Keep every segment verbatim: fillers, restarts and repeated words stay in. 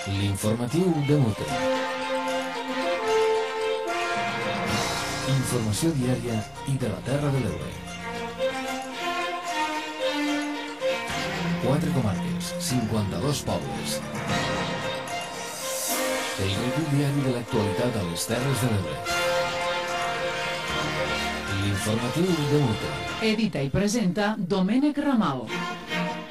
L'informatiu de Mute. Informació diària i de la Terra de l'Ebre. Quatre comarques, cinquanta-dos pobles. El resum diari de l'actualitat a les Terres de l'Ebre. L'informatiu de Mute. Edita i presenta Domènec Ramal.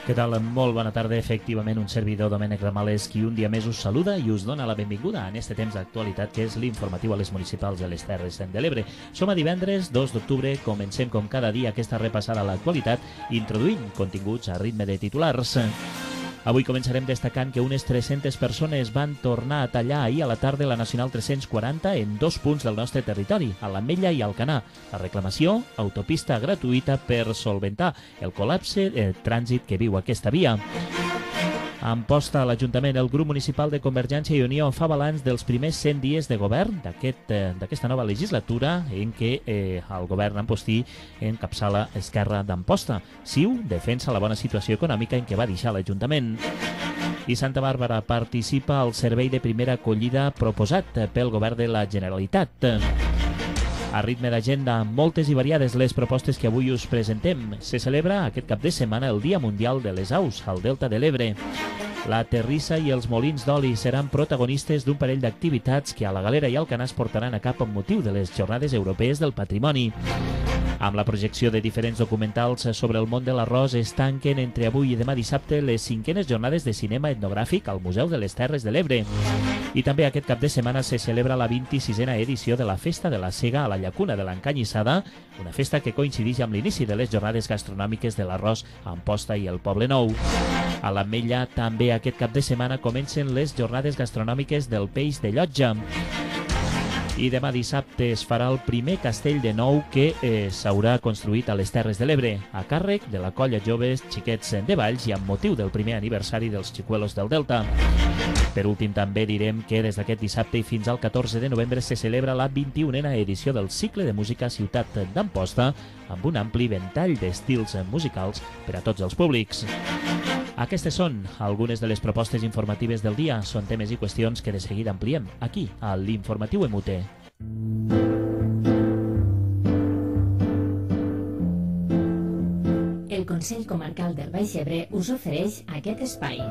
Què tal? Molt bona tarda. Efectivament, un servidor, Domènec Ramal, és qui un dia més us saluda i us dona la benvinguda en este temps d'actualitat que és l'informatiu a les municipals de les Terres de l'Ebre. Som a divendres, dos d'octubre, comencem com cada dia aquesta repassada a l'actualitat, introduint continguts a ritme de titulars. Avui començarem destacant que unes tres-centes persones van tornar a tallar ahir a la tarda la Nacional tres-cents quaranta en dos punts del nostre territori, a l'Ametlla i Alcanar. La reclamació, autopista gratuïta per solventar el col·lapse de trànsit que viu aquesta via. A Amposta, a l'Ajuntament, el grup municipal de Convergència i Unió fa balanç dels primers cent dies de govern d'aquesta aquest, nova legislatura en què eh, el govern ampostí encapçala Esquerra d'Amposta. Ciu defensa la bona situació econòmica en què va deixar l'Ajuntament. I Santa Bàrbara participa al servei de primera acollida proposat pel govern de la Generalitat. A ritme d'agenda, moltes i variades les propostes que avui us presentem. Se celebra aquest cap de setmana el Dia Mundial de les Aus, al Delta de l'Ebre. La terrissa i els molins d'oli seran protagonistes d'un parell d'activitats que a la Galera i Alcanar es portaran a cap amb motiu de les Jornades Europees del Patrimoni. Amb la projecció de diferents documentals sobre el món de l'arròs es tanquen entre avui i demà dissabte les cinquenes jornades de cinema etnogràfic al Museu de les Terres de l'Ebre. I també aquest cap de setmana se celebra la vint-i-sisena edició de la Festa de la Sega a la Llacuna de l'Encanyissada, una festa que coincideix amb l'inici de les jornades gastronòmiques de l'arròs a Amposta i el Poble Nou. A l'Ametlla també aquest cap de setmana comencen les jornades gastronòmiques del peix de Llotja. I demà dissabte es farà el primer castell de nou que eh, s'haurà construït a les Terres de l'Ebre, a càrrec de la colla Joves Xiquets de Valls i amb motiu del primer aniversari dels Xicuelos del Delta. Per últim, també direm que des d'aquest dissabte i fins al catorze de novembre se celebra la vint-i-unena edició del cicle de música Ciutat d'Amposta, amb un ampli ventall d'estils musicals per a tots els públics. Aquestes són algunes de les propostes informatives del dia. Són temes i qüestions que de seguida ampliem aquí, a l'Informatiu M U T. El Consell Comarcal del Baix Ebre us ofereix aquest espai.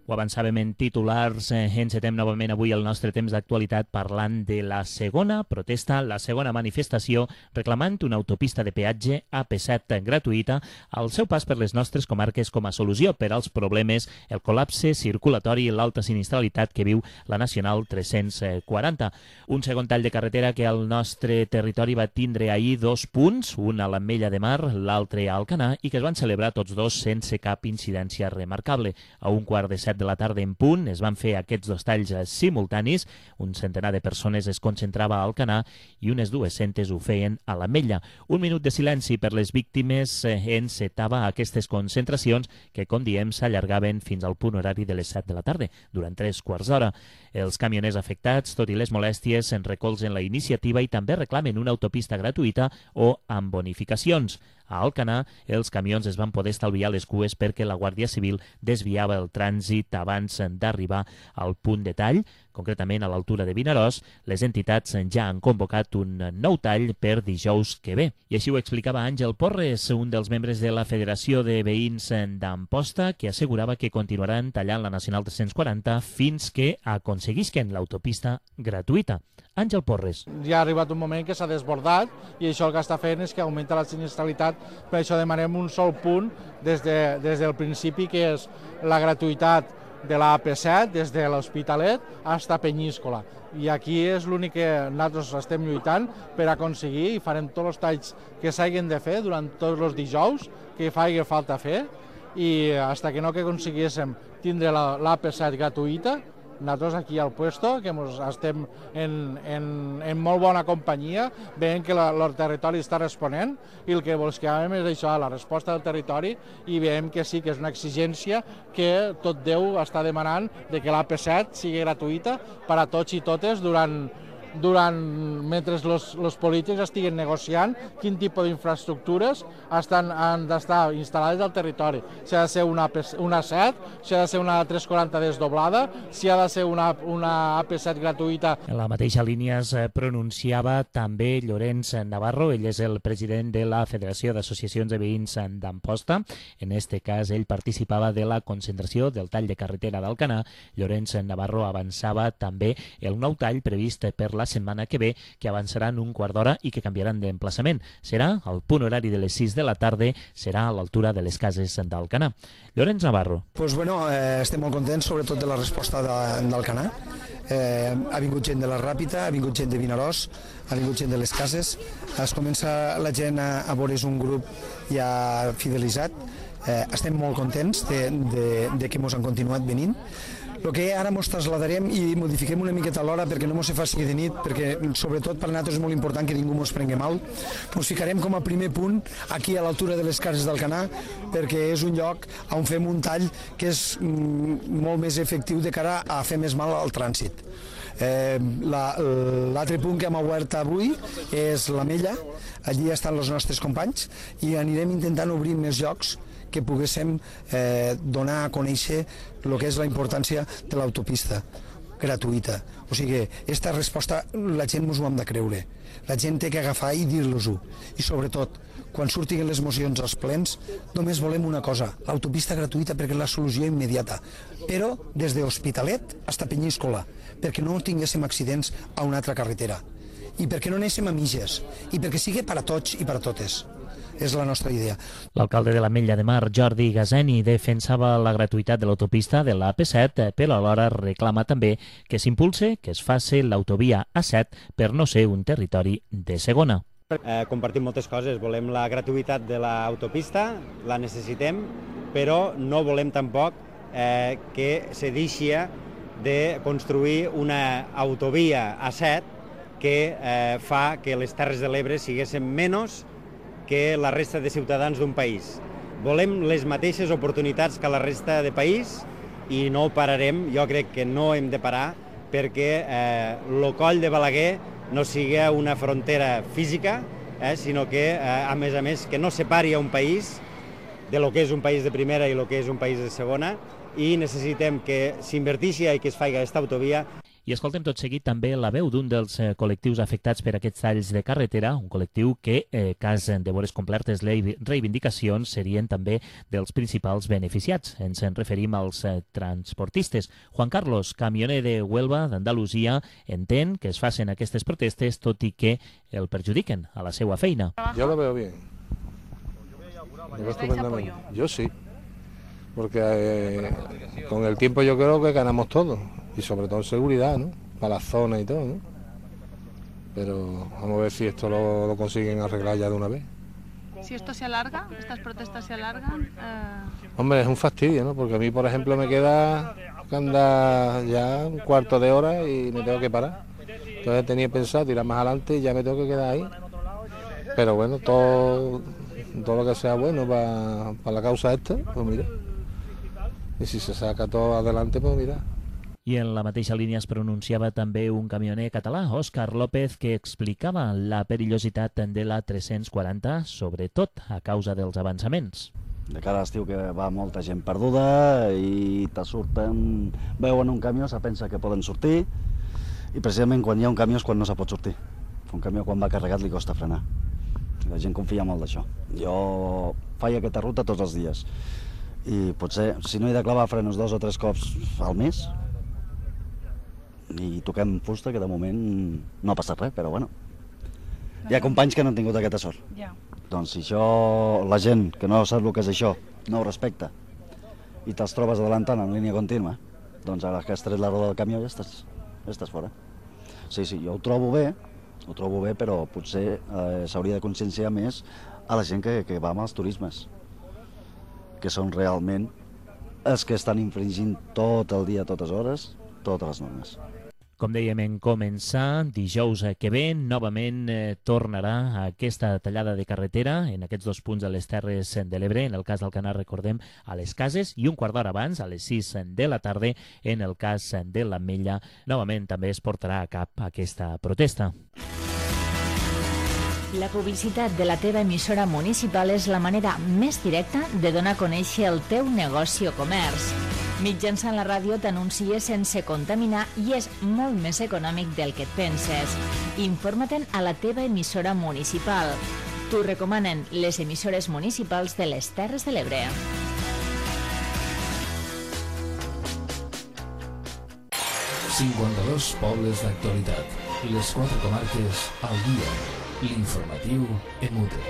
Ho avançàvem en titulars, eh, encetem novament avui el nostre temps d'actualitat parlant de la segona protesta, la segona manifestació reclamant una autopista de peatge A P set gratuïta al seu pas per les nostres comarques com a solució per als problemes, el col·lapse circulatori i l'alta sinistralitat que viu la Nacional tres-cents quaranta. Un segon tall de carretera que al nostre territori va tindre ahir dos punts, un a l'Ametlla de Mar, l'altre a Alcanar, i que es van celebrar tots dos sense cap incidència remarcable. A un quart de set de la tarda en punt es van fer aquests dos talls simultanis, un centenar de persones es concentrava a Alcanar i unes dues-centes ho feien a l'Ametlla. Un minut de silenci per les víctimes encetava aquestes concentracions que, com diem, s'allargaven fins al punt horari de les set de la tarda, durant tres quarts d'hora. Els camioners afectats, tot i les molèsties, en recolzen la iniciativa i també reclamen una autopista gratuïta o amb bonificacions. A Alcanar, els camions es van poder estalviar les cues perquè la Guàrdia Civil desviava el trànsit abans d'arribar al punt de tall, concretament a l'altura de Vinaròs. Les entitats ja han convocat un nou tall per dijous que ve. I així ho explicava Àngel Porres, un dels membres de la Federació de Veïns d'Amposta, que assegurava que continuaran tallant la Nacional tres-cents quaranta fins que aconseguisquen l'autopista gratuïta. Àngel Porres. Ja ha arribat un moment que s'ha desbordat i això el que està fent és que augmenta la sinistralitat, per això demanem un sol punt des, de, des del principi, que és la gratuïtat de la A P set des de l'Hospitalet fins a Penyíscola. I aquí és l'únic que nosaltres estem lluitant per aconseguir i farem tots els talls que s'hagin de fer durant tots els dijous que faci falta fer, i fins que no que aconseguíssim tindre la, la A P set gratuïta, nosaltres aquí al puesto, que mos estem en, en, en molt bona companyia, veiem que la, el territori està responent i el que buscàvem és això, la resposta del territori, i veiem que sí que és una exigència que tot Déu està demanant de que l'A P set sigui gratuïta per a tots i totes durant durant, mentre els polítics estiguen negociant quin tipus d'infraestructures estan, han d'estar instal·lades al territori. Si ha de ser una, una A set, si ha de ser una tres quaranta desdoblada, si ha de ser una, una A P set gratuïta. En la mateixa línia es pronunciava també Llorenç Navarro, ell és el president de la Federació d'Associacions de Veïns d'Amposta. En este cas, ell participava de la concentració del tall de carretera d'Alcanar. Llorenç Navarro avançava també el nou tall previst per la setmana que ve, que avançarà en un quart d'hora i que canviaran d'emplaçament. Serà al punt horari de les sis de la tarda, serà a l'altura de les cases d'Alcanar. Llorenç Navarro. Pues bueno, eh, estem molt contents, sobretot de la resposta d'Alcanar. Eh, ha vingut gent de la Ràpita, ha vingut gent de Vinaròs, ha vingut gent de les cases. Es comença la gent a, a veure un grup ja fidelitzat. Eh, estem molt contents de, de, de que ens han continuat venint. El que ara ens traslladarem i modifiquem una miqueta l'hora perquè no ens se faci de nit, perquè sobretot per nosaltres és molt important que ningú ens prengui mal. Ens ficarem com a primer punt aquí a l'altura de les cases d'Alcanar, perquè és un lloc on fem un tall que és mm, molt més efectiu de cara a fer més mal al trànsit. Eh, L'altre punt que hem obert avui és la Mella, allí estan els nostres companys i anirem intentant obrir més llocs que poguéssim eh, donar a conèixer el que és la importància de l'autopista gratuïta. O sigui, aquesta resposta la gent ens ho hem de creure. La gent té que agafar i dir-los-ho. I sobretot, quan surtin les mocions als plens, només volem una cosa, l'autopista gratuïta perquè és la solució immediata. Però des d'Hospitalet fins a Penyíscola, perquè no tinguéssim accidents a una altra carretera. I perquè no anéssim a mitges. I perquè sigui per a tots i per a totes. És la nostra idea. L'alcalde de l'Ametlla de Mar, Jordi Gazeni, defensava la gratuïtat de l'autopista de l'A P set, però alhora reclama també que s'impulse, que es faci l'autovia A set per no ser un territori de segona. Eh, compartim moltes coses, volem la gratuïtat de l'autopista, la necessitem, però no volem tampoc eh, que se deixi de construir una autovia A set que eh, fa que les Terres de l'Ebre siguessin menys que la resta de ciutadans d'un país. Volem les mateixes oportunitats que la resta de país i no pararem, jo crec que no hem de parar perquè eh, el coll de Balaguer no sigui una frontera física, eh, sinó que, eh, a més a més, que no separi a un país de lo que és un país de primera i lo que és un país de segona, i necessitem que s'inverteixi i que es faci aquesta autovia. I escoltem tot seguit també la veu d'un dels eh, col·lectius afectats per aquests talls de carretera, un col·lectiu que, eh, cas de veure complertes les reivindicacions, serien també dels principals beneficiats. Ens en referim als eh, transportistes. Juan Carlos, camioner de Huelva, d'Andalusia, entén que es facin aquestes protestes tot i que el perjudiquen a la seva feina. Yo lo veo bien. Lo veo estupendamente. Yo sí. Porque eh, con el tiempo yo creo que ganamos todo. Y sobre todo en seguridad, ¿no? Para la zona y todo, ¿no? Pero vamos a ver si esto lo, lo consiguen arreglar ya de una vez. Si esto se alarga, estas protestas se alargan... Eh... Hombre, es un fastidio, ¿no? Porque a mí, por ejemplo, me queda que andar ya un cuarto de hora y me tengo que parar. Entonces tenía pensado tirar más adelante y ya me tengo que quedar ahí. Pero bueno, todo, todo lo que sea bueno para, para la causa esta, pues mira. Y si se saca todo adelante, pues mira. I en la mateixa línia es pronunciava també un camioner català, Òscar López, que explicava la perillositat de la tres-cents quaranta, sobretot a causa dels avançaments. De cara a l'estiu que va molta gent perduda i te surten, veuen un camió, se pensa que poden sortir i precisament quan hi ha un camió és quan no se pot sortir. Un camió quan va carregat li costa frenar. La gent confia molt d'això. Jo faig aquesta ruta tots els dies i potser, si no he de clavar frenos dos o tres cops al mes, i toquem fusta, que de moment no ha passat res, però bueno. Hi ha companys que no han tingut aquesta sort. Ja. Doncs si això, la gent que no sap el que és això, no ho respecta, i te'ls trobes adelantant en línia contínua, doncs ara que has tret la roda del camió ja estàs, ja estàs fora. Sí, sí, jo ho trobo bé, ho trobo bé, però potser eh, s'hauria de conscienciar més a la gent que, que va amb els turismes, que són realment els que estan infringint tot el dia, totes hores, totes les normes. Com dèiem en començar, dijous que ve novament eh, tornarà aquesta tallada de carretera en aquests dos punts de les Terres de l'Ebre, en el cas d'Alcanar, recordem, a les Cases, i un quart d'hora abans, a les sis de la tarda, en el cas de l'Ametlla, novament també es portarà a cap aquesta protesta. La publicitat de la teva emissora municipal és la manera més directa de donar a conèixer el teu negoci o comerç. Mitjançant la ràdio t'anuncies sense contaminar i és molt més econòmic del que et penses. Informa-te'n a la teva emissora municipal. T'ho recomanen les emissores municipals de les Terres de l'Ebre. cinquanta-dos pobles d'actualitat. Les quatre comarques al dia. L'informatiu Emute.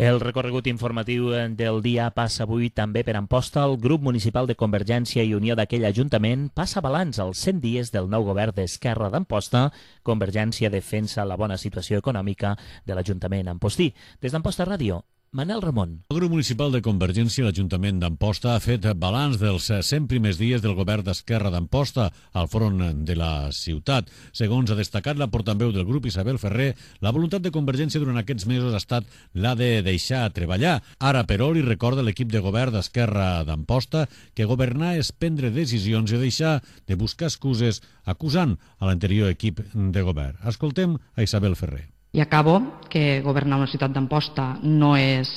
El recorregut informatiu del dia passa avui també per Amposta. El grup municipal de Convergència i Unió d'aquell ajuntament passa balanç als cent dies del nou govern d'Esquerra d'Amposta. Convergència defensa la bona situació econòmica de l'Ajuntament ampostí. Des d'Amposta Ràdio, Manel Ramon. El grup municipal de Convergència i l'Ajuntament d'Amposta ha fet balanç dels cent primers dies del govern d'Esquerra d'Amposta al front de la ciutat. Segons ha destacat la portaveu del grup, Isabel Ferrer, la voluntat de Convergència durant aquests mesos ha estat la de deixar treballar. Ara, però, li recorda l'equip de govern d'Esquerra d'Amposta que governar és prendre decisions i deixar de buscar excuses acusant a l'anterior equip de govern. Escoltem a Isabel Ferrer. I acabo que governar una ciutat d'Amposta no és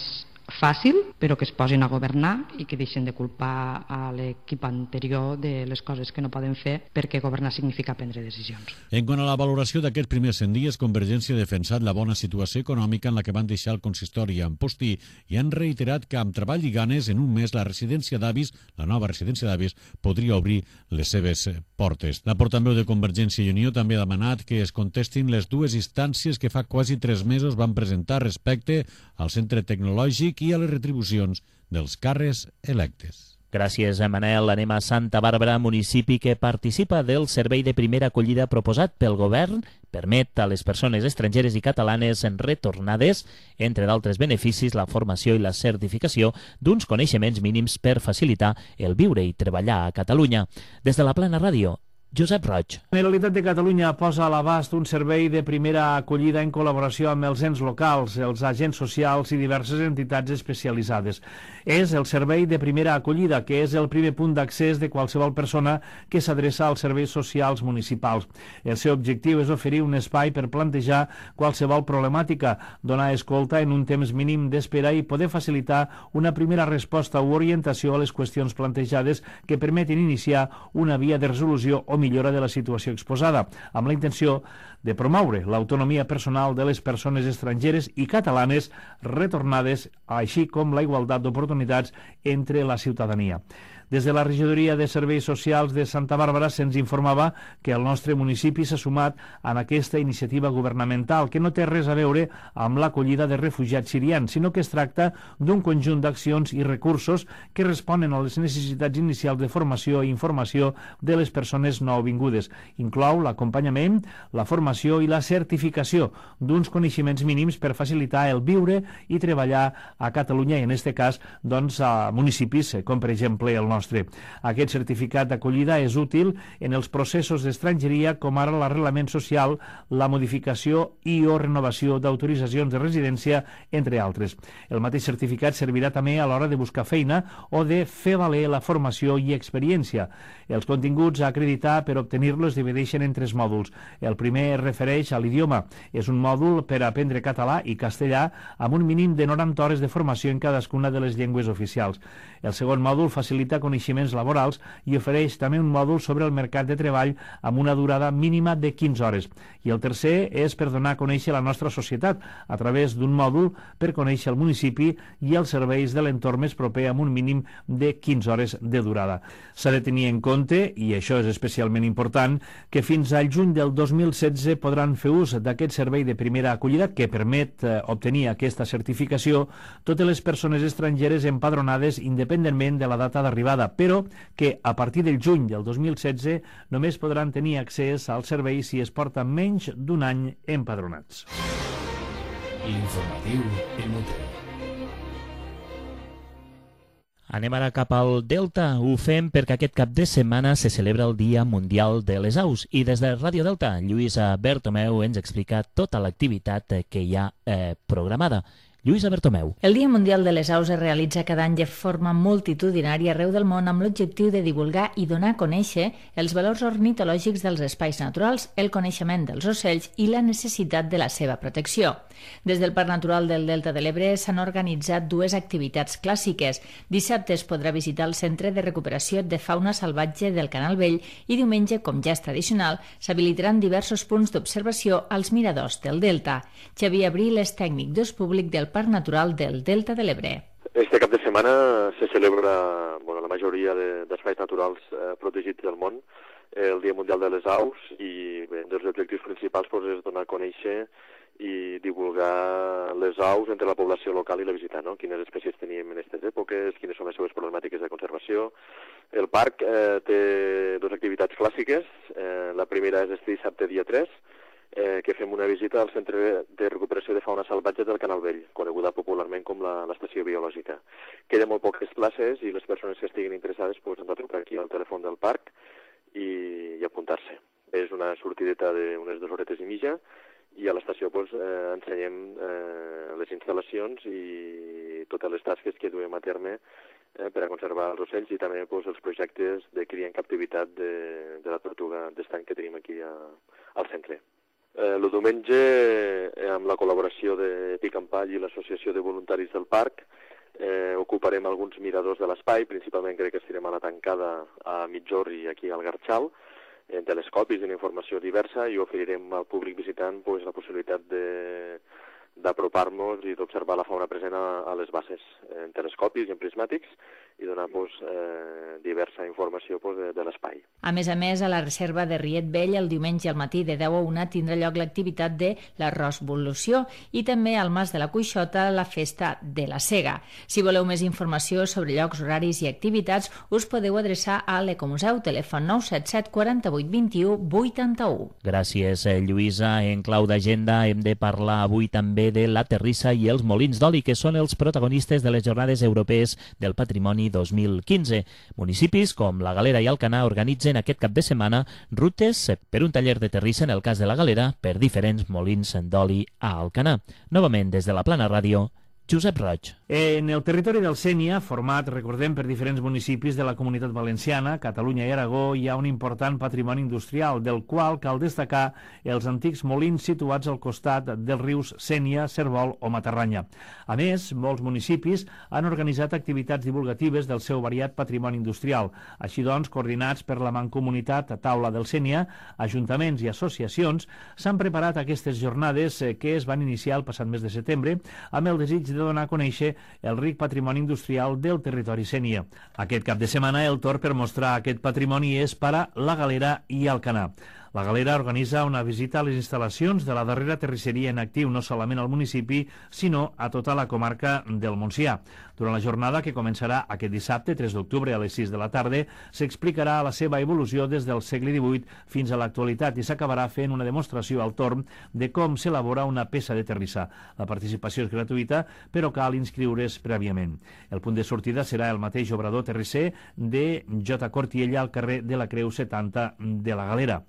fàcil, però que es posin a governar i que deixen de culpar a l'equip anterior de les coses que no poden fer, perquè governar significa prendre decisions. En quant a la valoració d'aquests primers cent dies, Convergència ha defensat la bona situació econòmica en la que van deixar el consistori a Ampostí i han reiterat que amb treball i ganes en un mes la residència d'avis, la nova residència d'avis, podria obrir les seves portes. La portaveu de Convergència i Unió també ha demanat que es contestin les dues instàncies que fa quasi tres mesos van presentar respecte al centre tecnològic i a les retribucions dels càrrecs electes. Gràcies, Manel. Anem a Santa Bàrbara, municipi que participa del servei de primera acollida proposat pel govern. Permet a les persones estrangeres i catalanes retornades, entre d'altres beneficis, la formació i la certificació d'uns coneixements mínims per facilitar el viure i treballar a Catalunya. Des de la Plana Ràdio, Josep Roig. La Generalitat de Catalunya posa a l'abast un servei de primera acollida en col·laboració amb els ens locals, els agents socials i diverses entitats especialitzades. És el servei de primera acollida, que és el primer punt d'accés de qualsevol persona que s'adreça als serveis socials municipals. El seu objectiu és oferir un espai per plantejar qualsevol problemàtica, donar escolta en un temps mínim d'espera i poder facilitar una primera resposta o orientació a les qüestions plantejades que permetin iniciar una via de resolució o millora de la situació exposada, amb la intenció de promoure l'autonomia personal de les persones estrangeres i catalanes retornades, així com la igualtat d'oportunitats entre la ciutadania. Des de la Regidoria de Serveis Socials de Santa Bàrbara se'ns informava que el nostre municipi s'ha sumat en aquesta iniciativa governamental, que no té res a veure amb l'acollida de refugiats sirians, sinó que es tracta d'un conjunt d'accions i recursos que responen a les necessitats inicials de formació i informació de les persones nouvingudes. Inclou l'acompanyament, la formació i la certificació d'uns coneixements mínims per facilitar el viure i treballar a Catalunya i, en aquest cas, doncs, a municipis com, per exemple, el nostre. Aquest certificat d'acollida és útil en els processos d'estrangeria, com ara l'arrelament social, la modificació i o renovació d'autoritzacions de residència, entre altres. El mateix certificat servirà també a l'hora de buscar feina o de fer valer la formació i experiència. Els continguts a acreditar per obtenir-lo es divideixen en tres mòduls. El primer es refereix a l'idioma. És un mòdul per aprendre català i castellà amb un mínim de noranta hores de formació en cadascuna de les llengües oficials. El segon mòdul facilita coneixements laborals i ofereix també un mòdul sobre el mercat de treball amb una durada mínima de quinze hores. I el tercer és per donar a conèixer la nostra societat a través d'un mòdul per conèixer el municipi i els serveis de l'entorn més proper amb un mínim de quinze hores de durada. S'ha de tenir en compte, i això és especialment important, que fins al juny del dos mil setze podran fer ús d'aquest servei de primera acollida que permet eh, obtenir aquesta certificació totes les persones estrangeres empadronades independentment de la data d'arribada, però que a partir del juny del dos mil setze només podran tenir accés al servei si es porten menys d'un any empadronats. L'informatiu Emute. Anem ara cap al Delta. Ho fem perquè aquest cap de setmana se celebra el Dia Mundial de les Aus i des de Ràdio Delta, Lluïsa Bertomeu ens explica tota l'activitat que hi ha eh, programada. Lluïsa Bertomeu. El Dia Mundial de les Aus es realitza cada any de forma multitudinària arreu del món amb l'objectiu de divulgar i donar a conèixer els valors ornitològics dels espais naturals, el coneixement dels ocells i la necessitat de la seva protecció. Des del Parc Natural del Delta de l'Ebre s'han organitzat dues activitats clàssiques. Dissabte es podrà visitar el Centre de Recuperació de Fauna Salvatge del Canal Vell i diumenge, com ja és tradicional, s'habilitaran diversos punts d'observació als miradors del Delta. Xavier Abril és tècnic d'ús públic del Parc Natural del Delta de l'Ebre. Este cap de setmana se celebra bueno, la majoria d'espais naturals eh, protegits del món, eh, el Dia Mundial de les Aus, i bé, un dels objectius principals pues, és donar a conèixer i divulgar les aus entre la població local i la visitant, no? Quines espècies tenim en aquestes èpoques, quines són les seves problemàtiques de conservació. El parc eh, té dues activitats clàssiques. Eh, la primera és este dissabte dia tres, Eh, que fem una visita al Centre de Recuperació de Fauna Salvatge del Canal Vell, coneguda popularment com l'estació biològica. Queden molt poques places i les persones que estiguin interessades pues, han de trucar aquí al telèfon del parc i, i apuntar-se. És una sortideta d'unes dues horetes i mitja i a l'estació pues, eh, ensenyem eh, les instal·lacions i totes les tasques que duem a terme eh, per a conservar els ocells i també pues, els projectes de cria en captivitat de, de la tortuga d'estany que tenim aquí a, al centre. Eh, el diumenge, eh, amb la col·laboració de Pic en Pall i l'Associació de Voluntaris del Parc, eh, ocuparem alguns miradors de l'espai, principalment crec que estirem a la tancada a Mitjorri i aquí al Garxal, en telescopis i en informació diversa, i oferirem al públic visitant pues, la possibilitat de d'apropar-nos i d'observar la fauna present a, a les bases en telescopis i en prismàtics i donar pues, eh, diversa informació pues, de, de l'espai. A més a més, a la reserva de Riet Vell el diumenge al matí de deu a una tindrà lloc l'activitat de la Rosvolució i també al Mas de la Cuixota la Festa de la Sega. Si voleu més informació sobre llocs, horaris i activitats, us podeu adreçar a l'Ecomuseu, telèfon nou set set quatre vuit dos u vuitanta-u. Gràcies, Lluïsa. En clau d'agenda hem de parlar avui també de la Terrissa i els Molins d'Oli, que són els protagonistes de les Jornades Europees del Patrimoni dos mil quinze. Municipis com la Galera i Alcanar organitzen aquest cap de setmana rutes per un taller de terrissa en el cas de la Galera per diferents molins d'oli a Alcanar. Novament, des de la Plana Ràdio, Josep Roig. En el territori del Sénia, format, recordem, per diferents municipis de la Comunitat Valenciana, Catalunya i Aragó, hi ha un important patrimoni industrial, del qual cal destacar els antics molins situats al costat dels rius Sénia, Cervol o Matarranya. A més, molts municipis han organitzat activitats divulgatives del seu variat patrimoni industrial. Així doncs, coordinats per la Mancomunitat Taula del Sénia, ajuntaments i associacions s'han preparat aquestes jornades que es van iniciar el passat mes de setembre amb el desig de donar a conèixer el ric patrimoni industrial del territori sénia. Aquest cap de setmana el torn per mostrar aquest patrimoni és per a la Galera i Alcanar. La Galera organitza una visita a les instal·lacions de la darrera terrisseria en actiu no solament al municipi, sinó a tota la comarca del Montsià. Durant la jornada, que començarà aquest dissabte, tres d'octubre, a les sis de la tarda, s'explicarà la seva evolució des del segle divuit fins a l'actualitat i s'acabarà fent una demostració al torn de com s'elabora una peça de terrissa. La participació és gratuïta, però cal inscriure's prèviament. El punt de sortida serà el mateix obrador terrisser de J. Cortiella al carrer de la Creu setanta de la Galera.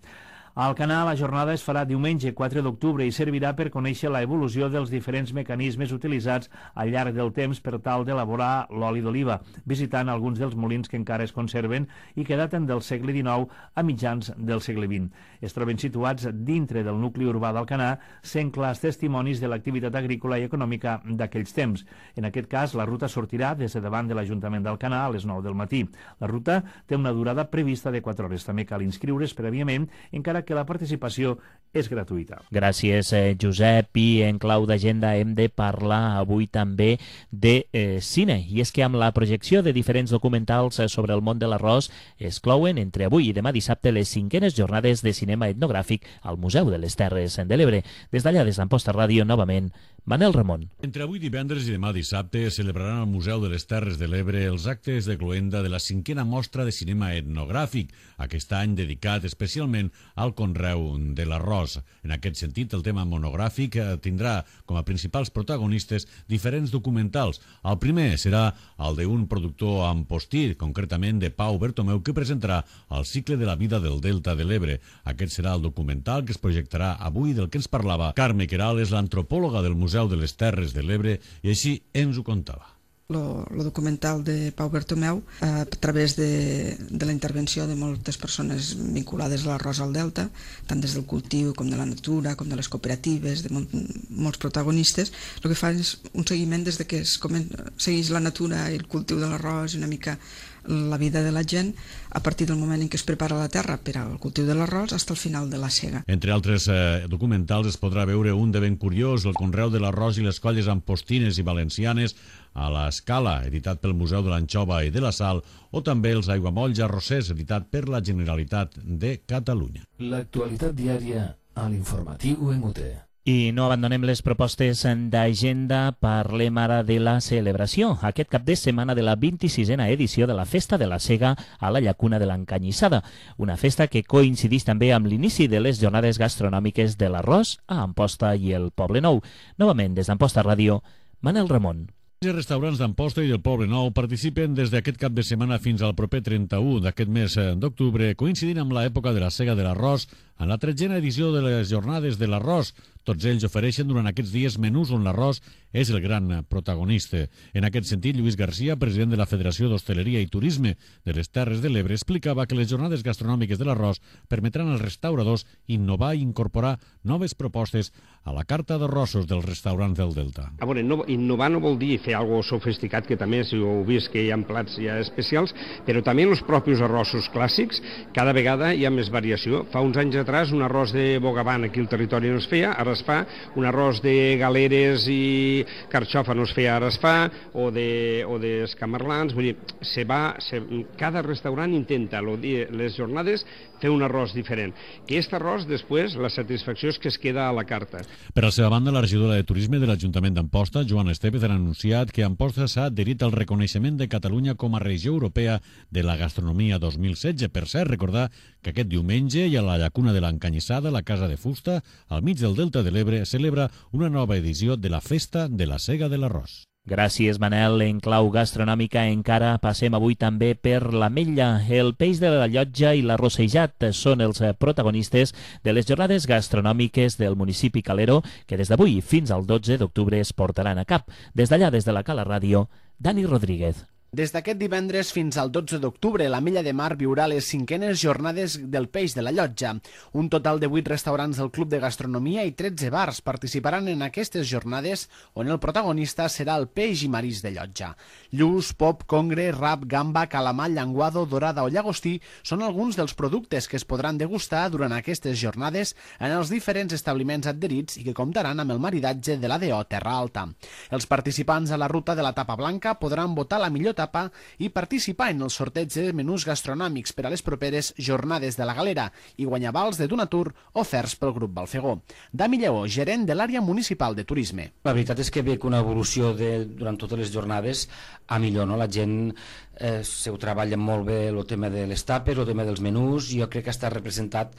A Alcanar la jornada es farà diumenge quatre d'octubre i servirà per conèixer la evolució dels diferents mecanismes utilitzats al llarg del temps per tal d'elaborar l'oli d'oliva, visitant alguns dels molins que encara es conserven i que daten del segle dinou a mitjans del segle vint. Es troben situats dintre del nucli urbà d'Alcanar, sent clars testimonis de l'activitat agrícola i econòmica d'aquells temps. En aquest cas, la ruta sortirà des de davant de l'Ajuntament d'Alcanar a les nou del matí. La ruta té una durada prevista de quatre hores. També cal inscriure's prèviament, encara que la participació és gratuïta. Gràcies, eh, Josep. I en clau d'agenda hem de parlar avui també de eh, cine. I és que amb la projecció de diferents documentals sobre el món de l'arròs es clouen entre avui i demà dissabte les cinquenes jornades de cinema etnogràfic al Museu de les Terres de l'Ebre. Des d'allà, des d'Amposta Ràdio, novament, Manel Ramon. Entre avui divendres i demà dissabte es celebraran al Museu de les Terres de l'Ebre els actes de cloenda de la cinquena mostra de cinema etnogràfic, aquest any dedicat especialment al conreu de l'arròs. En aquest sentit, el tema monogràfic tindrà com a principals protagonistes diferents documentals. El primer serà el d'un productor ampostir, concretament de Pau Bertomeu, que presentarà el cicle de la vida del Delta de l'Ebre. Aquest serà el documental que es projectarà avui, del que ens parlava Carme Queralt, és l'antropòloga del Museu de les Terres de l'Ebre, i així ens ho contava. El documental de Pau Bertomeu, a través de, de la intervenció de moltes persones vinculades a l'arròs al Delta, tant des del cultiu com de la natura, com de les cooperatives, de molt, molts protagonistes, el que fa és un seguiment des de que es comen, segueix la natura i el cultiu de l'arròs i una mica la vida de la gent a partir del moment en què es prepara la terra per al cultiu de l'arròs fins al final de la sega. Entre altres eh, documentals es podrà veure un de ben curiós, el conreu de l'arròs i les colles ampostines i valencianes a l'Escala, editat pel Museu de l'Anxova i de la Sal, o també els aiguamolls arrossers, editat per la Generalitat de Catalunya. L'actualitat diària a l'informatiu en U T. I no abandonem les propostes d'agenda, parlem ara de la celebració. Aquest cap de setmana de la vint-i-sisena edició de la Festa de la Sega a la Llacuna de l'Encanyissada, una festa que coincideix també amb l'inici de les jornades gastronòmiques de l'arròs a Amposta i el Poble Nou. Novament, des d'Amposta Ràdio, Manel Ramon. Els restaurants d'Amposta i del Poble Nou participen des d'aquest cap de setmana fins al proper trenta-u d'aquest mes d'octubre, coincidint amb l'època de la sega de l'arròs, en la tretzena edició de les jornades de l'arròs. Tots ells ofereixen durant aquests dies menús on l'arròs és el gran protagonista. En aquest sentit, Lluís Garcia, president de la Federació d'Hostaleria i Turisme de les Terres de l'Ebre, explicava que les jornades gastronòmiques de l'arròs permetran als restauradors innovar i incorporar noves propostes a la carta d'arrossos dels restaurants del Delta. A veure, no, innovar no vol dir fer algo sofisticat, que també, si ho heu vist, que hi ha plats ja especials, però també en els propis arrossos clàssics cada vegada hi ha més variació. Fa uns anys atrás un arròs de bogavant aquí al territori no es feia, ara es fa, un arròs de galeres i carxofa no es feia, ara es fa, o de, o d'escamarlans, vull dir, se va, se, cada restaurant intenta lo, les jornades fer un arròs diferent. I aquest arròs, després, la satisfacció és que es queda a la carta. Per la seva banda, la regidora de Turisme de l'Ajuntament d'Amposta, Joana Estevez, ha anunciat que Amposta s'ha adherit al reconeixement de Catalunya com a regió europea de la gastronomia dos mil setze. Per cert, recordar que aquest diumenge i a la Llacuna de l'Encanyissada, la Casa de Fusta, al mig del Delta de l'Ebre, celebra una nova edició de la Festa de la Sega de l'Arròs. Gràcies, Manel. En clau gastronòmica encara passem avui també per l'Ametlla. El peix de la Llotja i l'arrossejat són els protagonistes de les jornades gastronòmiques del municipi calero que des d'avui fins al dotze d'octubre es portaran a cap. Des d'allà, des de la Cala Ràdio, Dani Rodríguez. Des d'aquest divendres fins al dotze d'octubre, l'Ametlla de Mar viurà les cinquenes jornades del peix de la Llotja. Un total de vuit restaurants del Club de Gastronomia i tretze bars participaran en aquestes jornades, on el protagonista serà el peix i marís de Llotja. Lluç, pop, congre, rap, gamba, calamar, llenguado, dorada o llagostí són alguns dels productes que es podran degustar durant aquestes jornades en els diferents establiments adherits i que comptaran amb el maridatge de l'A D O Terra Alta. Els participants a la ruta de la tapa blanca podran votar la millor tapa i participar en el sorteig de menús gastronòmics per a les properes jornades de la Galera i guanyar vals de Donatur oferts pel grup Balfegó. Dami Lleó, gerent de l'àrea municipal de turisme. La veritat és que veig una evolució de, durant totes les jornades a millor, no? La gent eh, se ho treballa molt bé el tema de les tapes, el tema dels menús, i jo crec que està representat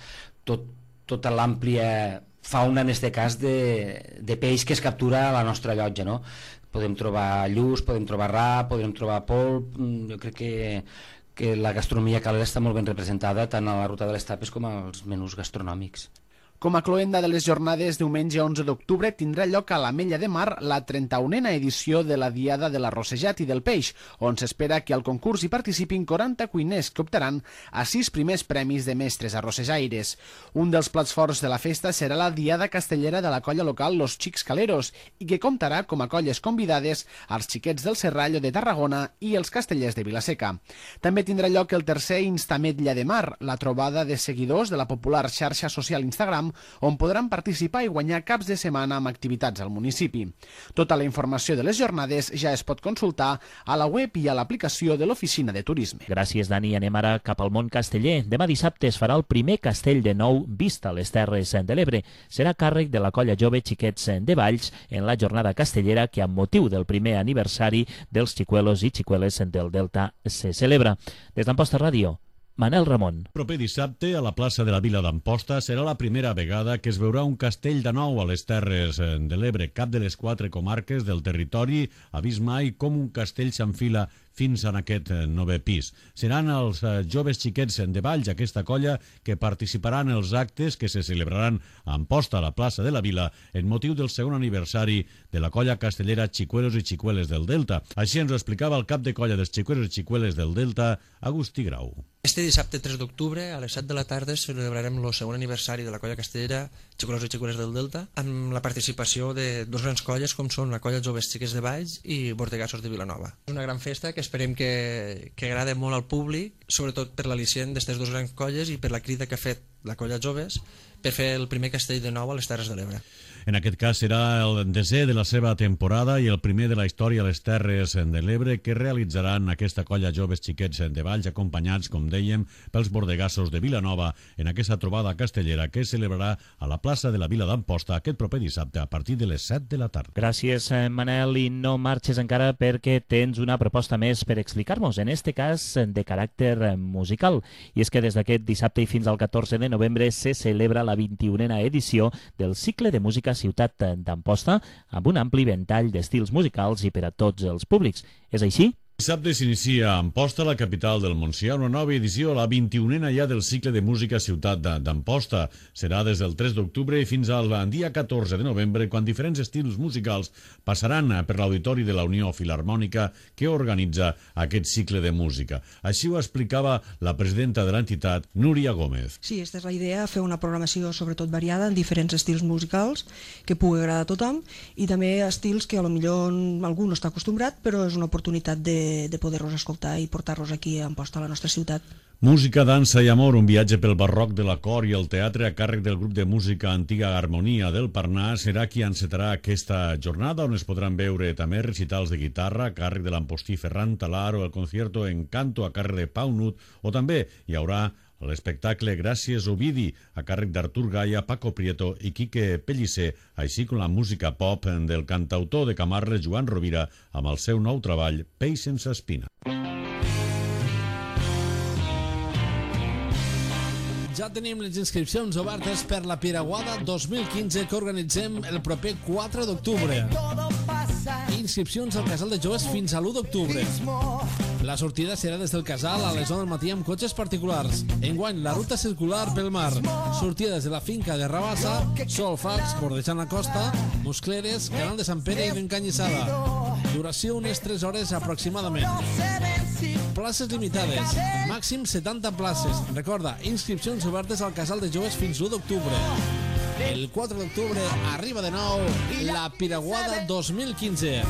tot, tota l'àmplia fauna, en aquest cas, de, de peix que es captura a la nostra llotja, no? Podem trobar lluç, podem trobar rap, podem trobar polp. Jo crec que, que la gastronomia calera està molt ben representada tant a la ruta de les tapes com als menús gastronòmics. Com a cloenda de les jornades, diumenge onze d'octubre tindrà lloc a l'Ametlla de Mar la trenta-unena edició de la Diada de l'Arrossejat i del Peix, on s'espera que al concurs hi participin quaranta cuiners que optaran a sis primers premis de mestres arrossejaires. Un dels plats forts de la festa serà la Diada Castellera de la colla local Los Xics Caleros i que comptarà com a colles convidades als Xiquets del Serrallo de Tarragona i els Castellers de Vilaseca. També tindrà lloc el tercer Instametlla de Mar, la trobada de seguidors de la popular xarxa social Instagram Instagram, on podran participar i guanyar caps de setmana amb activitats al municipi. Tota la informació de les jornades ja es pot consultar a la web i a l'aplicació de l'Oficina de Turisme. Gràcies, Dani. Anem ara cap al món casteller. Demà dissabte es farà el primer castell de nou vist a les Terres de l'Ebre. Serà càrrec de la colla jove Xiquets de Valls en la jornada castellera que, amb motiu del primer aniversari dels xicuelos i xicueles del Delta, se celebra. Des d'Amposta Ràdio, Manel Ramon. Proper dissabte, a la plaça de la Vila d'Amposta, serà la primera vegada que es veurà un castell de nou a les Terres de l'Ebre. Cap de les quatre comarques del territori ha vist mai com un castell s'enfila fins en aquest novè pis. Seran els joves xiquets de Valls, aquesta colla, que participaran en els actes que se celebraran a Amposta, a la plaça de la Vila, en motiu del segon aniversari de la colla castellera Xicuelos i Xicueles del Delta. Així ens ho explicava el cap de colla dels Xicuelos i Xicueles del Delta, Agustí Grau. Este dissabte tres d'octubre, a les set de la tarda, celebrarem el segon aniversari de la colla castellera Xicuelos i Xicueles del Delta, amb la participació de dos grans colles, com són la colla Joves Xiquets de Valls i Bordegassos de Vilanova. És una gran festa que esperem que, que agrada molt al públic, sobretot per l'al·licient d'aquestes dues grans colles i per la crida que ha fet la colla Joves per fer el primer castell de nou a les Terres de l'Ebre. En aquest cas serà el desè de la seva temporada i el primer de la història a les Terres de l'Ebre que realitzaran aquesta colla Joves Xiquets de Valls, acompanyats, com dèiem, pels Bordegassos de Vilanova en aquesta trobada castellera que es celebrarà a la plaça de la Vila d'Amposta aquest proper dissabte a partir de les set de la tarda. Gràcies, Manel, i no marxes encara perquè tens una proposta més per explicar-nos, en este cas de caràcter musical. I és que des d'aquest dissabte i fins al catorze de novembre se celebra la vint-i-unena edició del cicle de música Ciutat d'Amposta, amb un ampli ventall d'estils musicals i per a tots els públics. És així? Dissabte s'inicia a Amposta, la capital del Montsià, una nova edició, la vint-i-unena ja del cicle de música Ciutat d'Amposta. Serà des del tres d'octubre fins al dia catorze de novembre, quan diferents estils musicals passaran per l'auditori de la Unió Filharmònica que organitza aquest cicle de música. Així ho explicava la presidenta de l'entitat, Núria Gómez. Sí, aquesta és la idea, fer una programació sobretot variada en diferents estils musicals que pugui agradar a tothom i també estils que potser algú no està acostumbrat, però és una oportunitat de de poder-los escoltar i portar-los aquí a Amposta, a la nostra ciutat. Música, dansa i amor, un viatge pel barroc de la cor i el teatre a càrrec del grup de música Antiga Harmonia del Parnàs serà qui encetarà aquesta jornada, on es podran veure també recitals de guitarra a càrrec de l'Ampostí Ferran Talar o el concierto Encanto a càrrec de Pau Nut, o també hi haurà l'espectacle Gràcies Ovidi, a càrrec d'Artur Gaia, Paco Prieto i Quique Pellicer, així com la música pop del cantautor de Camarles Joan Rovira, amb el seu nou treball, Peix sense espina. Ja tenim les inscripcions obertes per la Piraguada dos mil quinze que organitzem el proper quatre d'octubre. Inscripcions al Casal de Joves fins a l'u d'octubre. La sortida serà des del casal a les onze del matí amb cotxes particulars. Enguany, la ruta circular pel mar. Sortida des de la finca de Rabassa, Solfax, bordejant la costa, Muscleres, Canal de Sant Pere i Encanyissada. Duració unes tres hores aproximadament. Places limitades. Màxim setanta places. Recorda, inscripcions obertes al Casal de Joves fins l'u d'octubre. El quatre d'octubre arriba de nou la Piraguada dos mil quinze.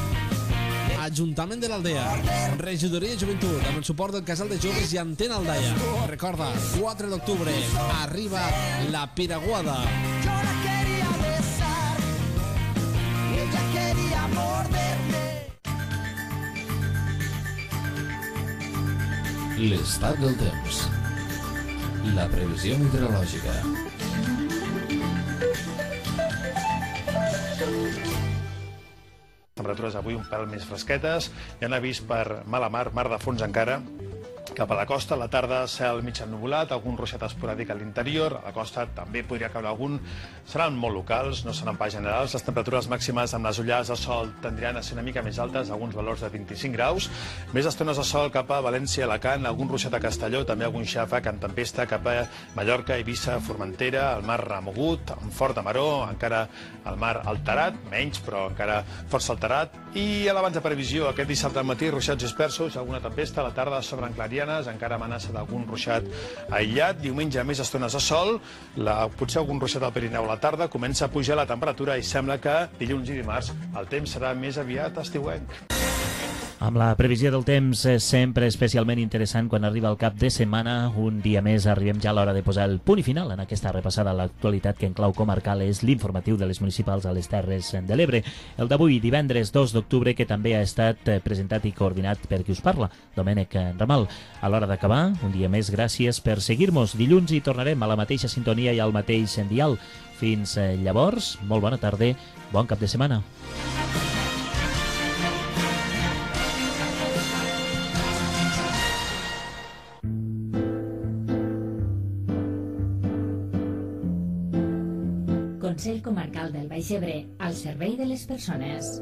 Ajuntament de l'Aldea, Regidoria de Joventut, amb el suport del Casal de Joves i Antena Aldaia. Recorda, quatre d'octubre arriba la Piraguada. Yo la quería besar y ella quería morderme. L'estat del temps. La previsió meteorològica. Temperatures avui un pèl més fresquetes, hi ha avís per mala mar, mar de fons encara, cap a la costa. A la tarda, cel mig ennuvolat, algun ruixat esporàdic a l'interior. A la costa també podria caure algun. Seran molt locals, no seran pas generals. Les temperatures màximes amb les ullades de sol tendran a ser una mica més altes, alguns valors de vint-i-cinc graus. Més estones de sol cap a València, Alacant, algun ruixat a Castelló, també algun xàfec en tempesta cap a Mallorca, Eivissa, Formentera, el mar remogut, amb forta maró, encara el mar alterat, menys, però encara força alterat. I a l'abans de previsió, aquest dissabte al matí, ruixats dispersos, alguna tempesta, a la tarda sobre Clarianes, encara amenaça d'algun ruixat aïllat. Diumenge més estones de sol, la, potser algun ruixat al Pirineu a la tarda, comença a pujar la temperatura i sembla que dilluns i dimarts el temps serà més aviat estiuenc. Amb la previsió del temps sempre especialment interessant quan arriba el cap de setmana, un dia més arribem ja a l'hora de posar el punt i final en aquesta repassada a l'actualitat que en clau comarcal és l'informatiu de les municipals a les Terres de l'Ebre. El d'avui, divendres dos d'octubre, que també ha estat presentat i coordinat per qui us parla, Domènec Ramal. A l'hora d'acabar, un dia més, gràcies per seguir-nos. Dilluns hi tornarem a la mateixa sintonia i al mateix dial. Fins llavors, molt bona tarda, bon cap de setmana. Consell Comarcal del Baix Ebre, al servei de les persones.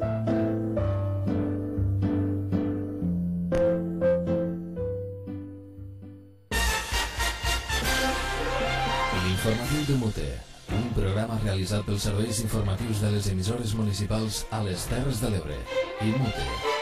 L'informatiu de Mute, un programa realitzat pels serveis informatius de les emissores municipals a les Terres de l'Ebre i Mute.